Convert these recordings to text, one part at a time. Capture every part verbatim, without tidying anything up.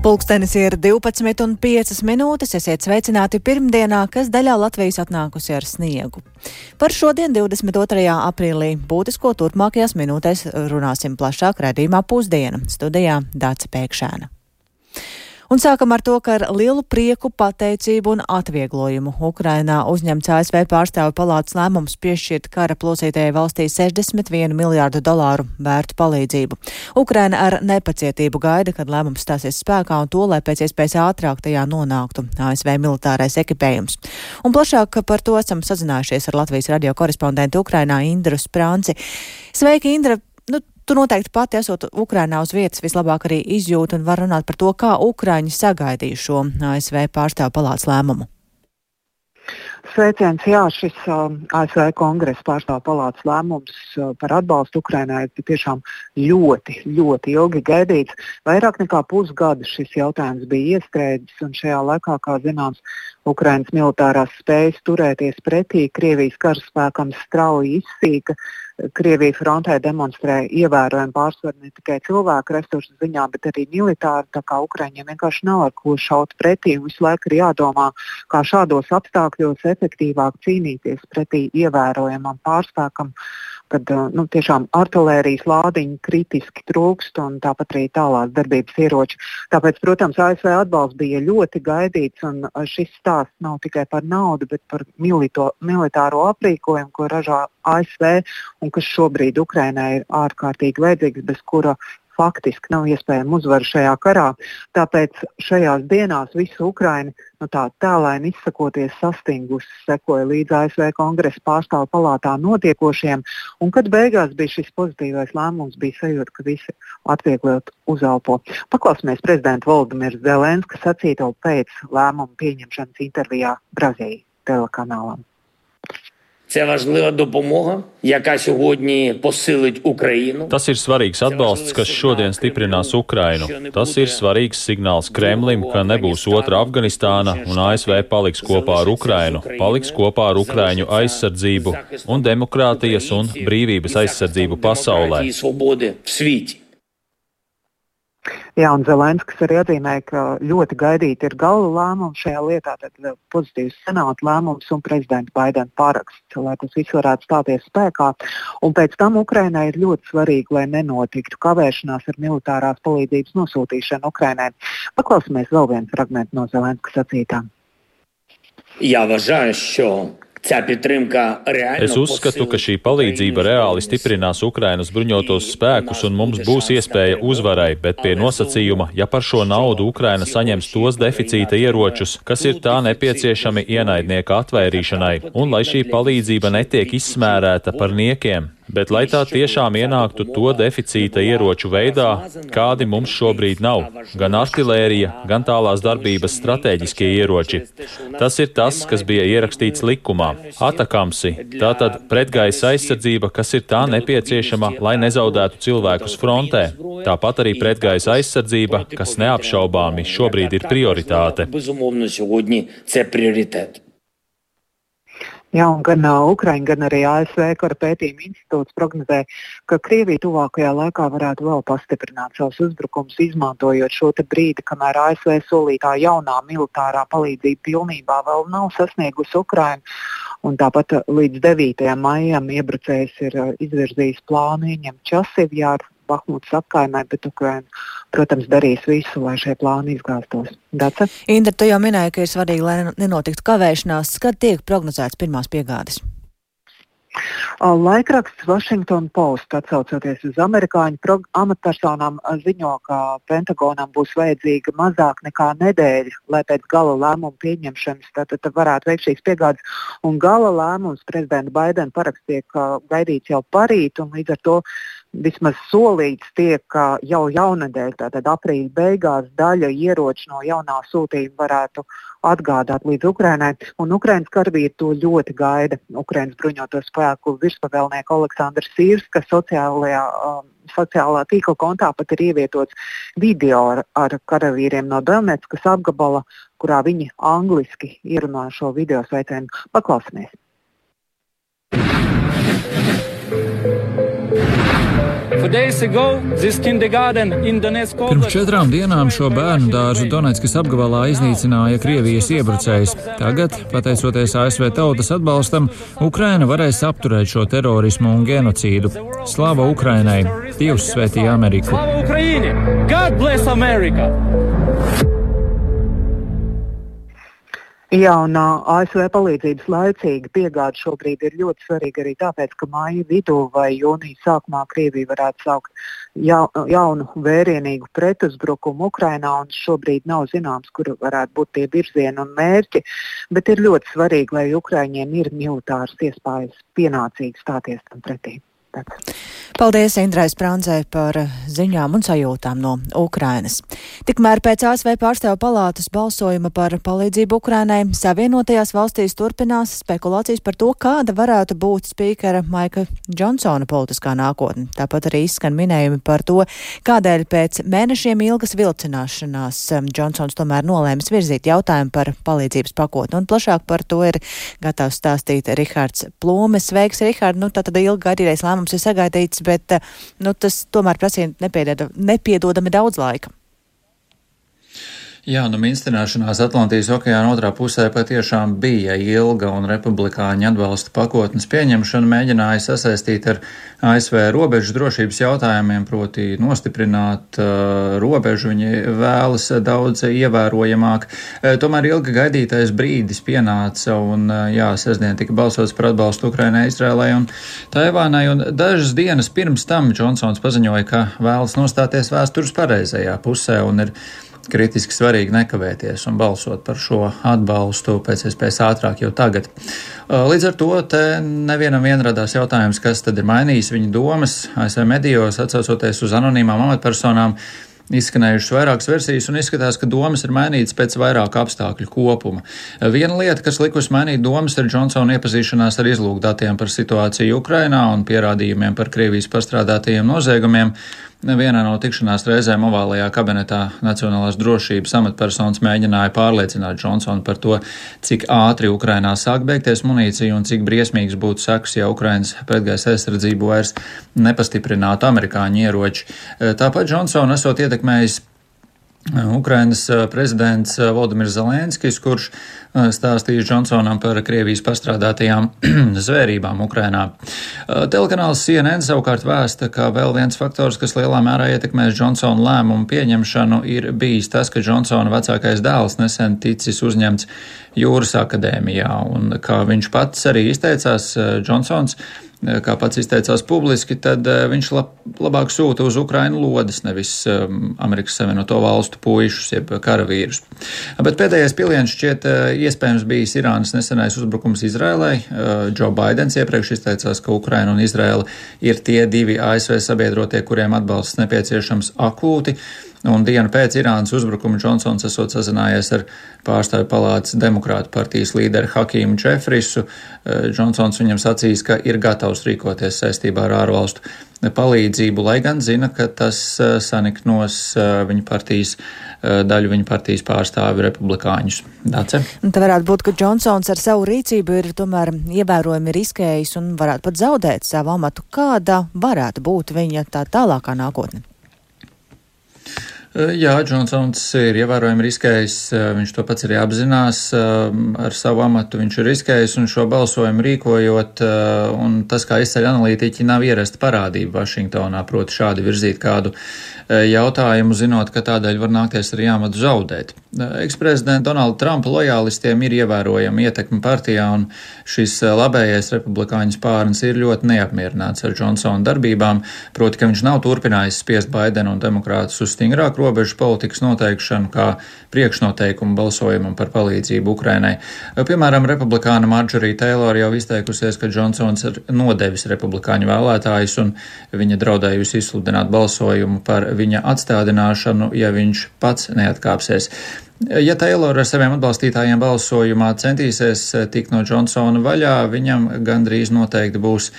Pulkstenis ir divpadsmit un piecas minūtes, esiet sveicināti pirmdienā, kas daļā Latvijas atnākusi ar sniegu. Par šodien, divdesmit otrajā aprīlī, būtisko turpmākajās minūtēs runāsim plašāk raidījumā Pusdiena. Studijā Dāca Pēkšēna. Un sākam ar to, ka ar lielu prieku, pateicību un atvieglojumu Ukrainā uzņemts A S V pārstāvju palātas lēmums piešķirt kara plosītajai valstī sešdesmit vienu miljārdu dolāru vērtu palīdzību. Ukraina ar nepacietību gaida, kad lēmums stāsies spēkā un to, lai pēc iespējas ātrāk tajā nonāktu A S V militārais ekipējums. Un plašāk par to esam sazinājušies ar Latvijas radio korespondentu Ukrainā Indru Sprānci. Sveiki, Indra! Nu, Tu noteikti pati esot Ukrainā uz vietas vislabāk arī izjūti un var runāt par to, kā Ukraiņi sagaidīja šo A S V pārstāvju palātas lēmumu. Sveiciens, jā, šis uh, A S V kongresa pārstāvju palātas lēmums uh, par atbalstu Ukrainai ir tiešām ļoti, ļoti ilgi gaidīts. Vairāk nekā pusgadu šis jautājums bija iestrēdzis, un šajā laikā, kā zināms, Ukrainas militārās spējas turēties pretī Krievijas karaspēkam strauji izsīka. Krievija frontē demonstrē ievērojumu pārsvaru ne tikai cilvēku resursu ziņā, bet arī militāri, tā kā Ukraiņiem vienkārši nav ar ko šaut pretī, un visu laiku ir jādomā, kā šādos apstākļos efektīvāk cīnīties pretī ievērojamam pārspēkam, kad nu, tiešām artilērijas lādiņi kritiski trūkst un tāpat arī tālās darbības ieroči. Tāpēc, protams, A S V atbalsts bija ļoti gaidīts, un šis stāsts nav tikai par naudu, bet par milito, militāro aprīkojumu, ko ražo A S V un kas šobrīd Ukrainai ir ārkārtīgi vajadzīgs, bez kura faktiski nav iespējama uzvara šajā karā. Tāpēc šajās dienās visu Ukraini, nu tā tēlaini izsakoties, sastingusi sekoja līdz A S V kongresa pārstāvju palātā notiekošiem, un kad beigās bija šis pozitīvais lēmums, bija sajūta, ka visi atvieglot uzelpo. Paklausīsimies prezidenta Volodimirs Zelenska sacīto pēc lēmuma pieņemšanas intervijā Brazīlijas telekanālam. Це важлива допомога, яка сьогодні посилить Україну. Tas ir svarīgs atbalsts, kas šodien stiprinās Ukrainu. Tas ir svarīgs signāls Kremlim, ka nebūs otra Afganistāna un A S V paliks kopā ar Ukrainu, paliks kopā ar Ukraiņu aizsardzību un demokrātijas un brīvības aizsardzību pasaulē. Jā, un Zelenskis arī atzīmēja, ka ļoti gaidīti ir gala lēmumi šajā lietā, tad pozitīvs senāta lēmums un prezidenta Baidena paraksts, lai tas viss varētu stāties spēkā. Un pēc tam Ukrainai ir ļoti svarīgi, lai nenotiktu kavēšanās ar militārās palīdzības nosūtīšanu Ukrainai. Paklausīsimies vēl vienu fragmentu no Zelenska sacītām. Я вважаю, що Es uzskatu, ka šī palīdzība reāli stiprinās Ukrainas bruņotos spēkus un mums būs iespēja uzvarai, bet pie nosacījuma, ja par šo naudu Ukraina saņems tos deficīta ieročus, kas ir tā nepieciešami ienaidnieka atvairīšanai, un lai šī palīdzība netiek izsmērēta par niekiem, bet lai tā tiešām ienāktu to deficīta ieroču veidā, kādi mums šobrīd nav, gan artilērija, gan tālās darbības stratēģiskie ieroči. Tas ir tas, kas bija ierakstīts likumā. Atakamsi, tātad pretgaisa aizsardzība, kas ir tā nepieciešama, lai nezaudētu cilvēkus frontē. Tāpat arī pretgaisa aizsardzība, kas neapšaubāmi šobrīd ir prioritāte. Jā, un gan uh, Ukraiņa, gan arī A S V kara pētījuma institūts prognozē, ka Krievija tuvākajā laikā varētu vēl pastiprināt savus uzbrukumus, izmantojot šo te brīdi, kamēr A S V solītā jaunā militārā palīdzība pilnībā vēl nav sasniegusi Ukrainu. Un tāpat līdz devītajam maijam iebrucējs ir uh, izvirzījis plānu ieņemt Časivjāru, Bahmutas apkaimē, bet Ukraina, protams, darīs visu, lai šie plāni izgāstos. Dace? Indra, tu jau minēji, ka ir svarīgi, lai nenotiktu kavēšanās. Kad tiek prognozēts pirmās piegādes? Laikraksts Washington Post, atsaucoties uz amerikāņu amatpersonām, ziņo, ka Pentagonam būs vajadzīga mazāk nekā nedēļa, lai pēc gala lēmuma pieņemšanas tad, tad varētu veikt šīs piegādes. Un gala lēmums prezidenta Baidena paraksts tiek gaidīts jau parīt, un līdz ar to vismaz solīts tiek, ka jau jaunadēļ, tātad aprīļa beigās, daļa ieroču no jaunā sūtījuma varētu atgādāt līdz Ukrainai, un Ukrainas karavīri to ļoti gaida. Ukrainas bruņoto spēku virspavēlnieks Aleksandrs Sīrska sociālajā, um, sociālā tīkla kontā pat ir ievietots video ar, ar karavīriem no Donetskas apgabala, kurā viņi angliski ierunā šo video sveicienu. Paklausīsimies. Pirms četrām dienām šo bērnu dārzu Donetskas apgabalā iznīcināja Krievijas iebrucējs. Tagad, pateicoties A S V tautas atbalstam, Ukraina varēs apturēt šo terorismu un genocīdu. Slava Ukrainai! Dievs svētī Ameriku! Slava Ukraini! God bless America! Jā, un A S V palīdzības laicīga piegāde šobrīd ir ļoti svarīga arī tāpēc, ka māja vidū vai jūnija sākumā Krievija varētu sākt ja, jaunu vērienīgu pretuzbrukumu Ukrainā, un šobrīd nav zināms, kur varētu būt tie virzieni un mērķi, bet ir ļoti svarīgi, lai Ukraiņiem ir militāras iespējas pienācīgi stāties tam pretī. Paldies Indrai Sprāndzei par ziņām un sajūtām no Ukrainas. Tikmēr pēc A S V pārstāvu palātas balsojuma par palīdzību Ukrainai Savienotajās valstīs turpinās spekulācijas par to, kāda varētu būt spīkera Maika Džonsona politiskā nākotne. Tāpat arī izskan minējumi par to, kādēļ pēc mēnešiem ilgas vilcināšanās Džonsons tomēr nolēmis virzīt jautājumu par palīdzības pakotni. Un plašāk par to ir gatavs stāstīt Rihards Plūmes. Sveiks, Rihard! Nu, tātad ilgi gaidītais lēmums ir sagaidīts, bet nu, tas tomēr prasīja nepiedodami daudz laika. Jā, nu minstrināšanās Atlantijas okeāna otrā pusē patiešām bija ilga, un republikāņu atbalsta pakotnes pieņemšana mēģināja sasaistīt ar A S V robežu drošības jautājumiem, proti nostiprināt uh, robežu. Viņi vēlas daudz ievērojamāk. Uh, tomēr ilgi gaidītais brīdis pienāca, un uh, jā, sestdien tika balsots par atbalstu Ukrainai, Izrēlai un Taivānai, un dažas dienas pirms tam Džonsons paziņoja, ka vēlas nostāties vēstures pareizajā pusē, un ir kritiski svarīgi nekavēties un balsot par šo atbalstu pēc iespējas ātrāk jau tagad. Līdz ar to te nevienam vien radās jautājums, kas tad ir mainījis viņa domas. A S V medijos, atsaucoties uz anonīmām amatpersonām, izskanējušas vairākas versijas un izskatās, ka domas ir mainītas pēc vairāku apstākļu kopuma. Viena lieta, kas likusi mainīt domas, ir Džonsona iepazīšanās ar izlūkdatiem par situāciju Ukrainā un pierādījumiem par Krievijas pastrādātajiem noziegumiem. Vienā no tikšanās reizēm ovālajā kabinetā Nacionālās drošības amatpersonas mēģināja pārliecināt Džonsonu par to, cik ātri Ukrainā sāk beigties munīcija un cik briesmīgs būtu sekas, ja Ukrainas pretgaisa aizsardzību vairs nepastiprinātu amerikāņu ieroči. Tāpat Džonsonu esot ietekmējis Ukrainas prezidents Volodimirs Zelenskis, kurš stāstījis Džonsonam par Krievijas pastrādātajām zvērībām Ukrainā. Telekanāls C N N savukārt vēsta, ka vēl viens faktors, kas lielā mērā ietekmēs Džonsona lēmumu pieņemšanu, ir bijis tas, ka Džonsona vecākais dēls nesen ticis uzņemts Jūras akadēmijā, un kā viņš pats arī izteicās, Džonsons, kā pats izteicās publiski, tad viņš lab, labāk sūta uz Ukrainu lodes, nevis um, Amerikas Savienoto valstu puišus, jeb karavīrus. Bet pēdējais piliens šķiet iespējams bijis Irānas nesenais uzbrukums Izrēlai. Džo Baidens iepriekš izteicās, ka Ukraina un Izrēla ir tie divi A S V sabiedrotie, kuriem atbalsts nepieciešams akūti. Un dienu pēc Irānas uzbrukuma Džonsons esot sazinājies ar pārstāvju palātas demokrātu partijas līderi Hakīmu Džefrisu. Džonsons viņam sacīs, ka ir gatavs rīkoties saistībā ar ārvalstu palīdzību, lai gan zina, ka tas saniknos viņa partijas daļu viņa partijas pārstāvi republikāņus. Dace? Tā varētu būt, ka Džonsons ar savu rīcību ir tomēr ievērojami riskējis un varētu pat zaudēt savu amatu. Kāda varētu būt viņa tā tālākā nākotne? Jā, Džonsons ir ievērojami riskējis, viņš to pats arī apzinās, ar savu amatu viņš ir riskējis un šo balsojumu rīkojot, un tas, kā izceļ analītiķi, nav ierasta parādība Vašingtonā, proti šādi virzīt kādu jautājumu, zinot, ka tādēļ var nākties arī amatu zaudēt. Eksprezidenta Donalda Trumpa lojālistiem ir ievērojama ietekme partijā, un šis labējais republikāņu spārns ir ļoti neapmierināts ar Džonsona darbībām, proti, ka viņš nav turpinājis spiest Baidenu un demokrātus uz stingrāku robežu politikas noteikšanu kā priekšnoteikumu balsojumam par palīdzību Ukrainai. Piemēram, republikāna Marjorie Taylor jau izteikusies, ka Džonsons ir nodevis republikāņu vēlētājus un viņa draudējusi izsludināt balsojumu par viņa atstādināšanu, ja viņš pats neatkāpsies. Ja Taylor ar saviem atbalstītājiem balsojumā centīsies tikt no Džonsona vaļā, viņam gandrīz noteikti būs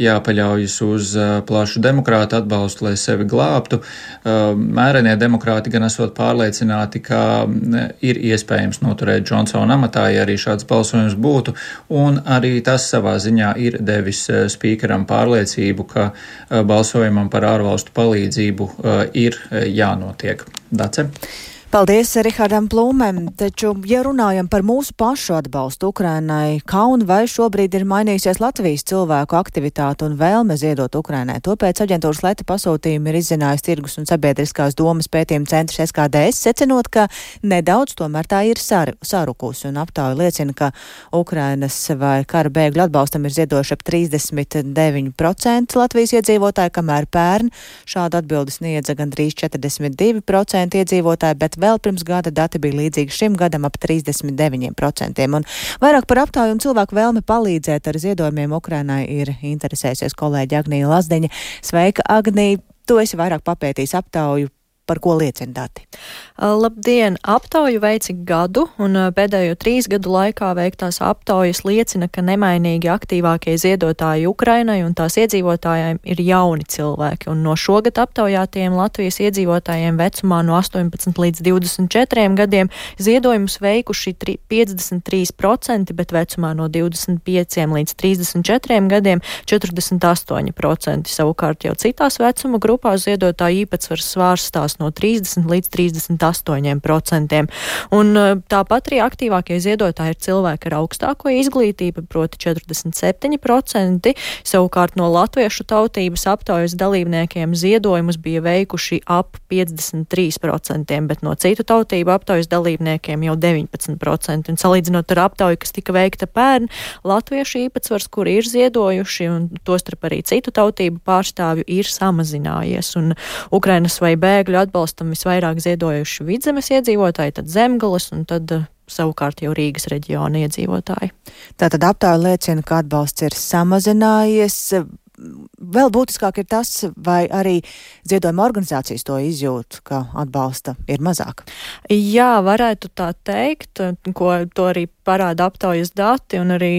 jāpaļaujas uz plašu demokrātu atbalstu, lai sevi glābtu. Mērenie demokrāti gan esot pārliecināti, ka ir iespējams noturēt Džonsona amatā, ja arī šāds balsojums būtu, un arī tas savā ziņā ir devis spīkeram pārliecību, ka balsojumam par ārvalstu palīdzību ir jānotiek. Dace? Paldies Rihardam Plūmēm, taču, ja runājam par mūsu pašu atbalstu Ukrainai, kā un vai šobrīd ir mainījusies Latvijas cilvēku aktivitāte un vēlme ziedot Ukrainai? To pēc aģentūras Leta pasūtījuma ir izzinājis Tirgus un sabiedriskās domas pētījuma centrs S K D S, secinot, ka nedaudz tomēr tā ir sar, sarukusi, un aptauja liecina, ka Ukrainas vai kara bēgļu atbalstam ir ziedojuši ap trīsdesmit deviņi procenti Latvijas iedzīvotāji, kamēr pērn šādu atbildi sniedza gandrīz četrdesmit divi procenti iedzīvotāji, bet vēl pirms gada dati bija līdzīgi šim gadam ap trīsdesmit deviņi procenti. Un vairāk par aptauju un cilvēku vēlmi palīdzēt ar ziedojumiem Ukrainai ir interesējusies kolēģi Agnija Lazdiņa. Sveika, Agnija! Tu esi vairāk papētījis aptauju. Par ko liecina dati? Labdien! Aptauju veici gadu, un pēdējo trīs gadu laikā veiktās aptaujas liecina, ka nemainīgi aktīvākie ziedotāji Ukrainai un tās iedzīvotājiem ir jauni cilvēki, un no šogad aptaujātiem Latvijas iedzīvotājiem vecumā no astoņpadsmit līdz divdesmit četriem gadiem ziedojumus veikuši piecdesmit trīs procenti, bet vecumā no divdesmit pieciem līdz trīsdesmit četriem gadiem četrdesmit astoņi procenti. Savukārt jau citās vecuma grupās ziedotāju īpatsvars svārstās no trīsdesmit līdz trīsdesmit astoņiem procentiem. Un tāpat arī aktīvākie ziedotāji ir cilvēki ar augstāko izglītību, proti četrdesmit septiņi procenti. Savukārt no latviešu tautības aptaujas dalībniekiem ziedojumus bija veikuši ap piecdesmit trīs procentiem, bet no citu tautību aptaujas dalībniekiem jau deviņpadsmit procenti. Un salīdzinot ar aptauju, kas tika veikta pērn, latviešu īpatsvars, kuri ir ziedojuši, un tostarp arī citu tautību pārstāvju, ir samazinājies. Un Ukrainas vai bēgļu atbalstam visvairāk ziedojuši Vidzemes iedzīvotāji, tad Zemgales un tad savukārt jau Rīgas reģiona iedzīvotāji. Tātad aptauja liecina, ka atbalsts ir samazinājies. Vēl būtiskāk ir tas, vai arī ziedojuma organizācijas to izjūt, ka atbalsta ir mazāk. Jā, varētu tā teikt, ko to arī parāda aptaujas dati, un arī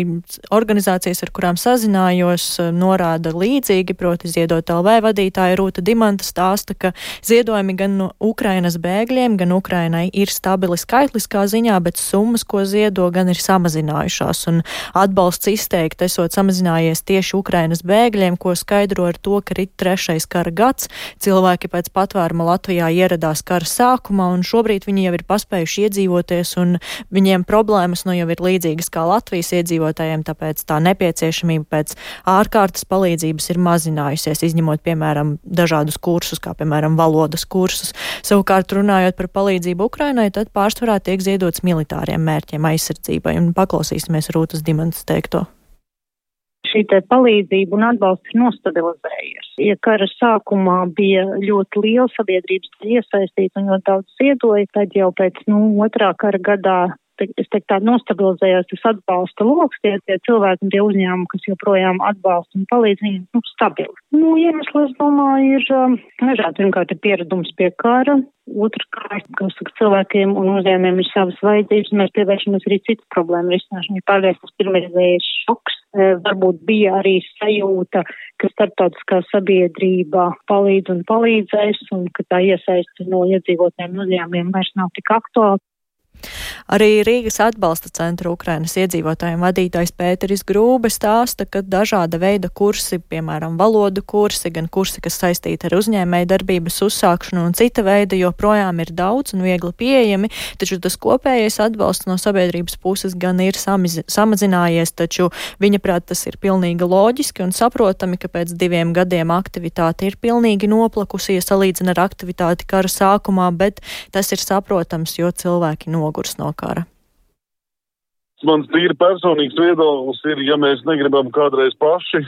organizācijas, ar kurām sazinājos, norāda līdzīgi, proti Ziedot L V vadītāja Rūta Dimanta stāsta, ka ziedojumi gan no Ukrainas bēgļiem, gan Ukrainai ir stabili skaitliskā ziņā, bet summas, ko ziedo, gan ir samazinājušās, un atbalsts izteikti esot samazinājies tieši Ukrainas bēgļiem, ko skaidro ar to, ka rit trešais kara gads, cilvēki pēc patvēruma Latvijā ieradās kara sākumā, un šobrīd viņi jau ir paspējuši iedzīvoties, un viņiem problēmas no jau ir līdzīgas kā Latvijas iedzīvotājiem, tāpēc tā nepieciešamība pēc ārkārtas palīdzības ir mazinājusies, izņemot, piemēram, dažādus kursus, kā, piemēram, valodas kursus. Savukārt, runājot par palīdzību Ukrainai, tad pārsvarā tiek ziedots militāriem mērķiem aizsardzībai, un paklausīsimies Rūtas Dimantas teikto. Šī te palīdzība un atbalsts ir nostabilizējies. Ja kara sākumā bija ļoti liela sabiedrības iesaistīta un ļoti daudz ziedoja, tad jau pēc, nu, otrā kara gadā es teiktu, tā nostabilizējās tas atbalsta loks, tie, tie cilvēki un tie uzņēmumi, kas joprojām atbalsta un palīdz, viņi, nu, stabili. Nu, iemesli, es domāju, ir um, nežādi. Pirmkārt, ir pieredums pie kara. Otrkārt, kā saka, cilvēkiem un uzņēmumiem ir savas vajadzības, un mēs pievēršamies arī citu problēmu risināšanu. Ja pārējais tas pirmreizējais šoks, e, varbūt bija arī sajūta, ka starptautiskā sabiedrība palīdz un palīdzēs, un ka tā iesaisti no iedzīvotājiem un uzņēmumiem vairs nav tik aktuāli. Arī Rīgas atbalsta centra Ukrainas iedzīvotājiem vadītājs Pēteris Grūbe stāsta, ka dažāda veida kursi, piemēram, valodu kursi, gan kursi, kas saistīti ar uzņēmēju darbības uzsākšanu un cita veida, joprojām ir daudz un viegli pieejami, taču tas kopējais atbalsts no sabiedrības puses gan ir samiz, samazinājies, taču viņa prāt tas ir pilnīgi loģiski un saprotami, ka pēc diviem gadiem aktivitāte ir pilnīgi noplakusi, ja salīdzina ar aktivitāti kara sākumā, bet tas ir saprotams, jo cilvēki nogurs no kara. Mans tīri personīgs viedoklis ir, ja mēs negribam kādreiz paši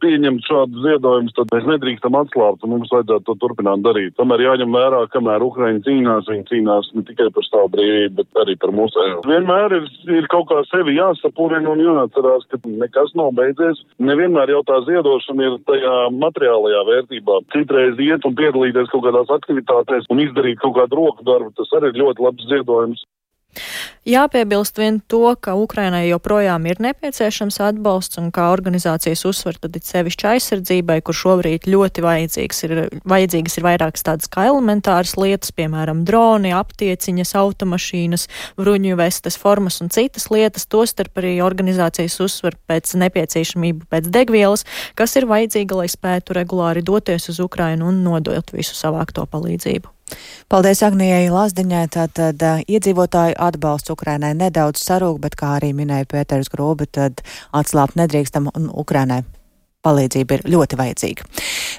pieņemt šādus ziedojumus, tad mēs nedrīkstam atslābt un mums vajadzētu to turpināt darīt. Tomēr jāņem vērā, kamēr Ukraiņi cīnās, viņi cīnās ne tikai par savu brīvību, bet arī par mūsu. Vienmēr ir, ir kaut kā sevi jāsapurina un jāatcerās, ka nekas nav beidzies. Nevienmēr jau tā ziedošana ir tajā materiālajā vērtībā. Citreiz iet un piedalīties kaut kādās aktivitātēs un izdarīt kaut kādu roku darbu, tas arī ir ļoti labs ziedojums. Jāpiebilst vien to, ka Ukrainai joprojām ir nepieciešams atbalsts un kā organizācijas uzsver, tad ir sevišķi aizsardzībai, kur šobrīd ļoti vajadzīgs ir, vajadzīgas ir vairākas tādas kā elementāras lietas, piemēram, droni, aptieciņas, automašīnas, bruņu vestes, formas un citas lietas, tostarp arī organizācijas uzsver pēc nepieciešamību pēc degvielas, kas ir vajadzīga, lai spētu regulāri doties uz Ukrainu un nodot visu savākto palīdzību. Paldies Agnijai Lazdiņai. Tātad uh, iedzīvotāju atbalsts Ukrainai nedaudz sarūk, bet kā arī minēja Pēters Grūbi, tad atslāpt nedrīkstam un Ukrainai palīdzība ir ļoti vajadzīga.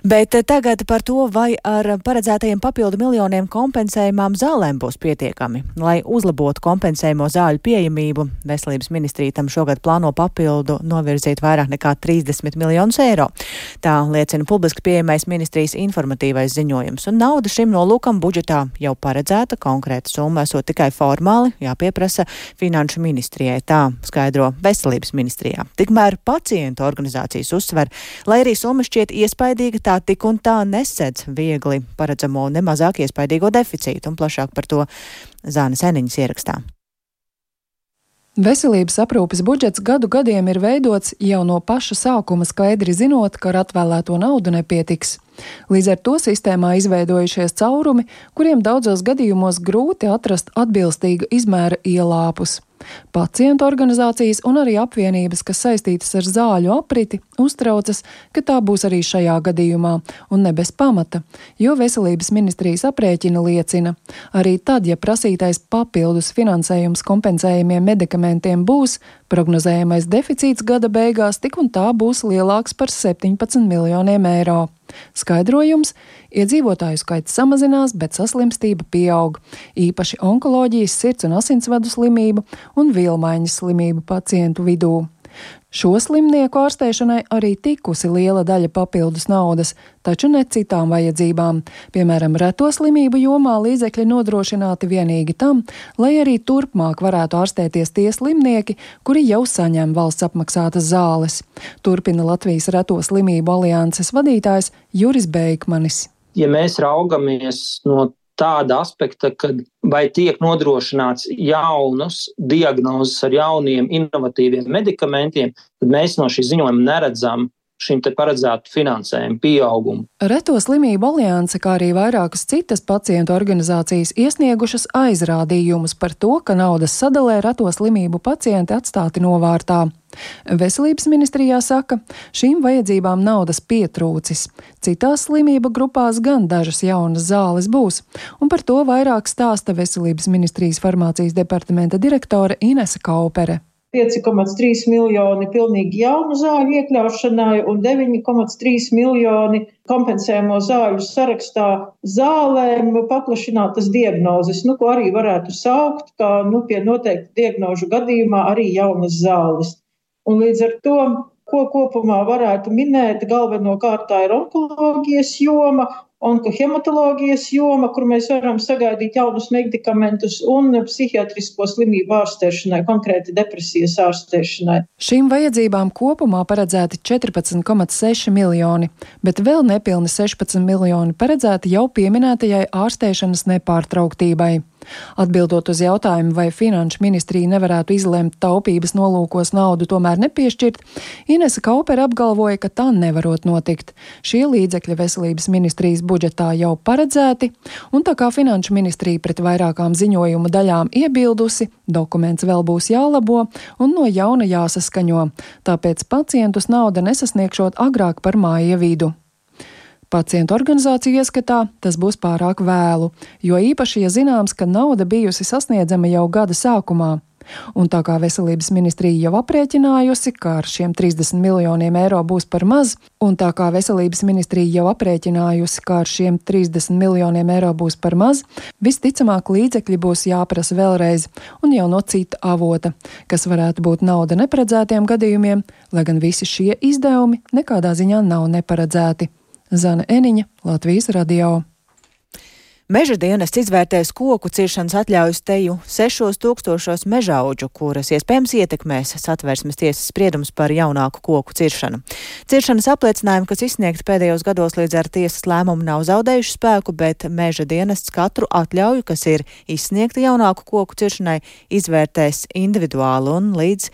Bet tagad par to, vai ar paredzētajiem papildu miljoniem kompensējumām zālēm būs pietiekami. Lai uzlabotu kompensējumo zāļu pieejamību, Veselības ministrija tam šogad plāno papildu novirzīt vairāk nekā trīsdesmit miljonus eiro. Tā liecina publiski pieejamais ministrijas informatīvais ziņojums. Un nauda šim nolūkam budžetā jau paredzēta, konkrēta summa esot tikai formāli jāpieprasa Finanšu ministrijai. Tā skaidro Veselības ministrijā. Tikmēr pacientu organizācijas uzsver, lai arī summa šķiet iespaidīga, tā tik un tā nesedz viegli paredzamo nemazāk iespaidīgo deficītu, un plašāk par to Zānes Eniņas ierakstā. Veselības aprūpes budžets gadu gadiem ir veidots jau no paša sākuma skaidri zinot, ka ar atvēlēto naudu nepietiks. Līdz ar to sistēmā izveidojušies caurumi, kuriem daudzos gadījumos grūti atrast atbilstīga izmēra ielāpus. Pacientu organizācijas un arī apvienības, kas saistītas ar zāļu apriti, uztraucas, ka tā būs arī šajā gadījumā, un ne bez pamata, jo Veselības ministrijas aprēķina liecina. Arī tad, ja prasītais papildus finansējums kompensējumiem medikamentiem būs, prognozējamais deficīts gada beigās tik un tā būs lielāks par septiņpadsmit miljoniem eiro. Skaidrojums – iedzīvotāju skaits samazinās, bet saslimstība pieaug, īpaši onkoloģijas, sirds un asinsvadu slimību un vielmaiņas slimību pacientu vidū. Šo slimnieku ārstēšanai arī tikusi liela daļa papildus naudas, taču ne citām vajadzībām. Piemēram, reto slimību jomā līdzekļi nodrošināti vienīgi tam, lai arī turpmāk varētu ārstēties tie slimnieki, kuri jau saņem valsts apmaksātas zāles. Turpina Latvijas Reto slimību alianses vadītājs Juris Beikmanis. Ja mēs raugamies no tāda aspekta, kad vai tiek nodrošināts jaunas diagnozes ar jauniem inovatīviem medikamentiem, tad mēs no šī ziņojuma neredzam šim te paredzētu finansējumu pieaugumu. Reto slimību alianse, kā arī vairākas citas pacientu organizācijas iesniegušas aizrādījumus par to, ka naudas sadalē reto slimību pacienti atstāti novārtā. Veselības ministrijā saka, šīm vajadzībām naudas pietrūcis. Citās slimību grupās gan dažas jaunas zāles būs, un par to vairāk stāsta Veselības ministrijas farmācijas departamenta direktore Inese Kaupere. pieci komats trīs miljoni pilnīgi jaunu zāļu iekļaušanai un deviņi komats trīs miljoni kompensējamo zāļu sarakstā zālēm paplašinātas diagnozes, nu, ko arī varētu saukt, kā nu, pie noteikti diagnožu gadījumā arī jaunas zāles. Un līdz ar to, ko kopumā varētu minēt, galvenokārt tā ir onkoloģijas joma, onkohematoloģijas joma, kur mēs varam sagaidīt jaunus medikamentus un psihiatrisko slimību ārstēšanai, konkrēti depresijas ārstēšanai. Šīm vajadzībām kopumā paredzēti četrpadsmit komats seši miljoni, bet vēl nepilni sešpadsmit miljoni paredzēti jau pieminētajai ārstēšanas nepārtrauktībai. Atbildot uz jautājumu, vai Finanšu ministrija nevarētu izlemt taupības nolūkos naudu tomēr nepiešķirt, Inese Kaupere apgalvoja, ka tā nevarot notikt. Šie līdzekļi Veselības ministrijas budžetā jau paredzēti, un tā kā Finanšu ministrija pret vairākām ziņojuma daļām iebildusi, dokuments vēl būs jālabo un no jauna jāsaskaņo, tāpēc pacientus nauda nesasniegšot agrāk par māja vidu. Pacientu organizāciju ieskatā tas būs pārāk vēlu, jo īpaši, ja zināms, ka nauda bijusi sasniedzama jau gada sākumā. Un tā kā Veselības ministrija jau aprēķinājusi, ka ar šiem trīsdesmit miljoniem eiro būs par maz, un tā kā Veselības ministrija jau aprēķinājusi, ka ar šiem trīsdesmit miljoniem eiro būs par maz, visticamāk līdzekļi būs jāprasa vēlreiz un jau no cita avota, kas varētu būt nauda neparedzētiem gadījumiem, lai gan visi šie izdevumi nekādā ziņā nav neparedzēti. Zane Eniņa, Latvijas radio. Meža dienests izvērtēs koku ciršanas atļaujas teju sešos tūkstošos mežaudžu, kuras iespējams ietekmēs Satversmes tiesas spriedums par jaunāku koku ciršanu. Ciršanas apliecinājumi, kas izsniegti pēdējos gados līdz ar tiesas lēmumu, nav zaudējuši spēku, bet meža dienests katru atļauju, kas ir izsniegta jaunāku koku ciršanai, izvērtēs individuāli un līdz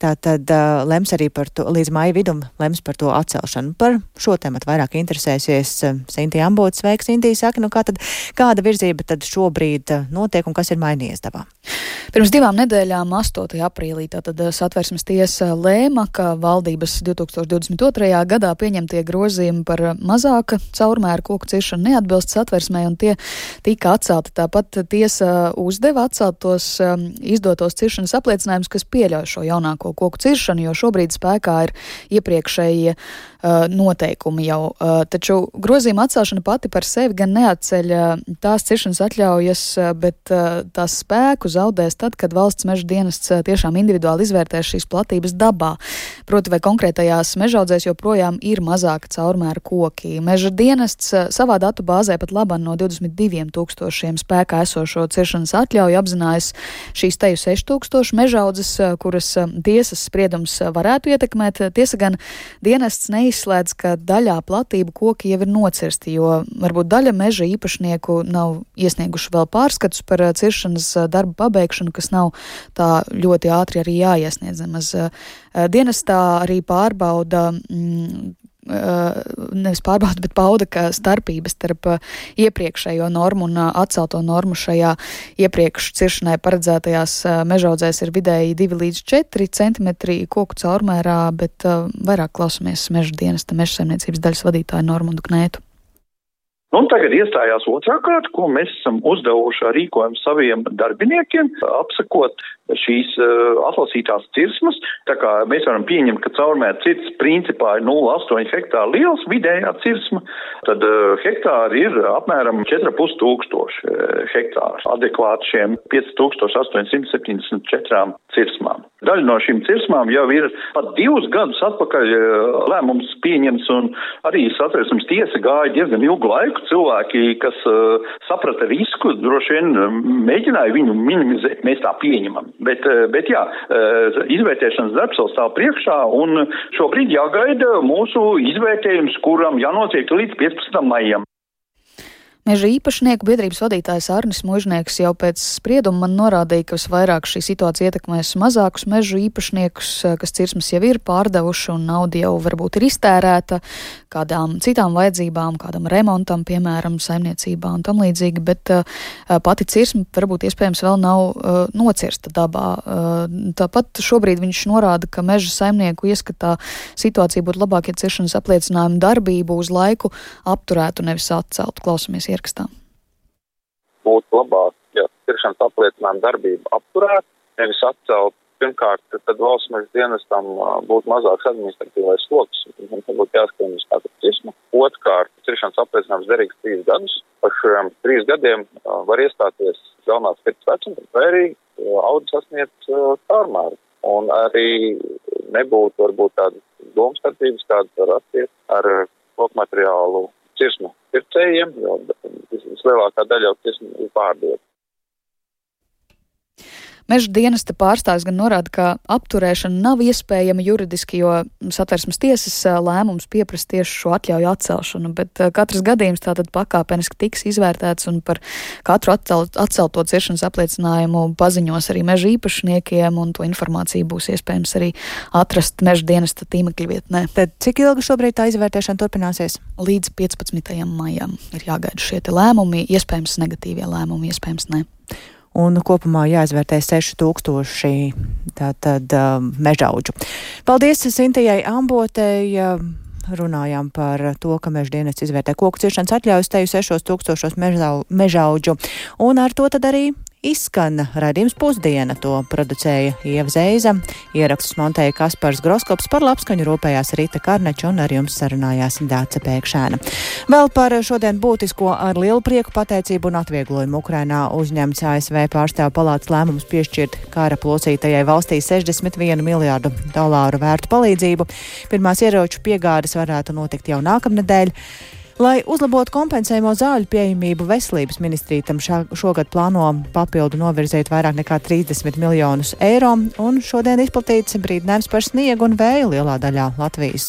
Tātad uh, lems arī par to, līdz māja vidum lems par to atcelšanu. Par šo tematu vairāk interesēsies uh, Sintija Ambote. Sveiks, Sintija, saka, nu kā tad, kāda virzība tad šobrīd uh, notiek un kas ir mainījies dabā? Pirms divām nedēļām, astotajā aprīlī, tātad Satversmes tiesa lēma, ka valdības divs tūkstoši divdesmit otrajā gadā pieņemtie grozījumi par mazāka caurmēra koku ciršanu neatbilst Satversmei, un tie tika atcelti. Tāpat tiesa uzdeva atcelt tos um, izdotos ciršanas apliecinājumus, kas pieļauj šo jaunāko koku ciršanu, jo šobrīd spēkā ir iepriekšējie uh, noteikumi jau. Uh, taču grozījuma atcelšana pati par sevi gan neatceļ uh, tās ciršanas atļaujas, uh, bet uh, tās spēku zaudēs tad, kad valsts meža dienests uh, tiešām individuāli izvērtēs šīs platības dabā. Proti, vai konkrētajās mežaudzēs joprojām ir mazāka caurmēra koki. Meža dienests uh, savā datu bāzē pat labam no divdesmit diviem tūkstošiem spēkā esošo ciršanas atļauju apzinājis šīs teju seši tūkstoši mežaudzes, uh, kuras uh, tiesas spriedums varētu ietekmēt. Tiesa gan dienests neizslēdz, ka daļā platību koki jau ir nocirsti, jo varbūt daļa meža īpašnieku nav iesnieguši vēl pārskatus par ciršanas darbu pabeigšanu, kas nav tā ļoti ātri arī jāiesniedz. Dienestā arī pārbauda mm, nevis pārbauda, bet pauda, ka starpības starp iepriekšējo normu un atcelto normu šajā iepriekš ciršanai paredzētajās mežaudzēs ir vidēji divi līdz četri centimetri koku caurmērā, bet vairāk klausamies meža dienesta meža saimniecības daļas vadītāju Normundu Knētu. Un tagad iestājās otrā kārta, ko mēs esam uzdevuši ar rīkojumu saviem darbiniekiem, apsakot šīs uh, atlasītās cirsmas. Tā kā mēs varam pieņemt, ka caurmēra cirts principā ir nulle komats astoņi hektāri liels, vidējā cirsma, tad uh, hektāri ir apmēram četri ar pus tūkstoši uh, hektāri, adekvāti šiem pieci tūkstoši astoņi simti septiņdesmit četrām cirsmām. Daļa no šīm cirsmām jau ir pat divus gadus atpakaļ uh, lēmums pieņems, un arī Satversmes tiesa gāja diezgan ilgu laiku. Cilvēki, kas uh, saprata risku, droši vien uh, mēģināja viņu minimizēt, mēs tā pieņemam. Bet, uh, bet jā, uh, izvērtēšanas darbs vēl stāv priekšā, un šobrīd jāgaida mūsu izvērtējums, kuram jānotiek līdz piecpadsmitam maijam. Meža īpašnieku biedrības vadītājs Arnis Mužnieks jau pēc sprieduma man norādīja, ka visvairāk šī situācija ietekmēs mazākus mežu īpašniekus, kas cirsmas jau ir pārdevuši un nauda jau varbūt ir iztērēta kādām citām vajadzībām, kādam remontam, piemēram, saimniecībā un tam līdzīgi, bet uh, pati cirsma varbūt iespējams vēl nav uh, nocirsta dabā. Uh, tāpat šobrīd viņš norāda, ka meža saimnieku ieskatā situācija būtu labāk, ja ciršanas apliecinājumu darbību uz laiku apturētu, nevis atceltu. Klausamies ierakstā. Būtu labāk, ja ciršanas apliecinājuma darbība apturētu, nevis atcelt. Pirmkārt, tad valsts meža dienestam būtu mazāks administratīvais sloks, un tad būtu jāskrien uz tādu cirsmu. Otrkārt, ciršanas apliecinājums derīgs trīs gadus. Par šiem trīs gadiem var iestāties galvenās pirts vecums, vai arī audi sasniedz caurmēru. Un arī nebūtu varbūt tādas domstarpības, kādas var rasties ar kokmateriālu cirsmu pircējiem, jo vislielākā daļa jau cirsmu ir pārdota. Meža dienesta pārstāvis gan norāda, ka apturēšana nav iespējama juridiski, jo Satversmes tiesas lēmums pieprasa tieši šo atļauju atcelšanu, bet katrs gadījums tātad pakāpeniski tiks izvērtēts, un par katru atcelt, atcelto ciršanas apliecinājumu paziņos arī meža īpašniekiem, un to informāciju būs iespējams arī atrast meža dienesta tīmekļa vietnē. Tad cik ilgi šobrīd tā izvērtēšana turpināsies? Līdz piecpadsmitajam maijam ir jāgaida šie te lēmumi, iespējams negatīvie lēmumi, iespējams ne. Un kopumā jāizvērtē seši tūkstoši tātad uh, mežaudžu. Paldies Sintijai Ambotei. Uh, runājām par to, ka meža dienests izvērtē koku ciršanas atļaujas teju sešos tūkstošos mežaudžu. Un ar to tad arī izskan raidījums Pusdiena. To producēja Ieva Zeiza, ierakstus montēja Kaspars Groskops, par labskaņu rūpējās Rita Karneča un ar jums sarunājās Dāce Pēkšēna. Vēl par šodien būtisko ar lielu prieku pateicību un atvieglojumu Ukrainā uzņemts A S V pārstāvu palātas lēmums piešķirt kara plosītajai valstī sešdesmit vienu miljārdu dolāru vērtu palīdzību. Pirmās ieroču piegādes varētu notikt jau nākamnedēļ. Lai uzlabotu kompensējumu zāļu pieejamību, veselības ministrija tam šā, šogad plāno papildu novirzīt vairāk nekā trīsdesmit miljonus eiro, un šodien izplatīts brīdinājums par sniegu un vēju lielā daļā Latvijas.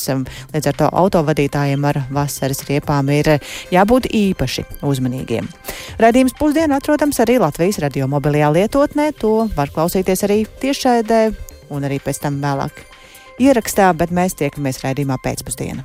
Līdz ar to autovadītājiem ar vasaras riepām ir jābūt īpaši uzmanīgiem. Raidījums Pusdiena atrodams arī Latvijas radio mobilajā lietotnē, to var klausīties arī tiešraidē un arī pēc tam vēlāk ierakstā, bet mēs tiekamies raidījumā pēcpusdiena.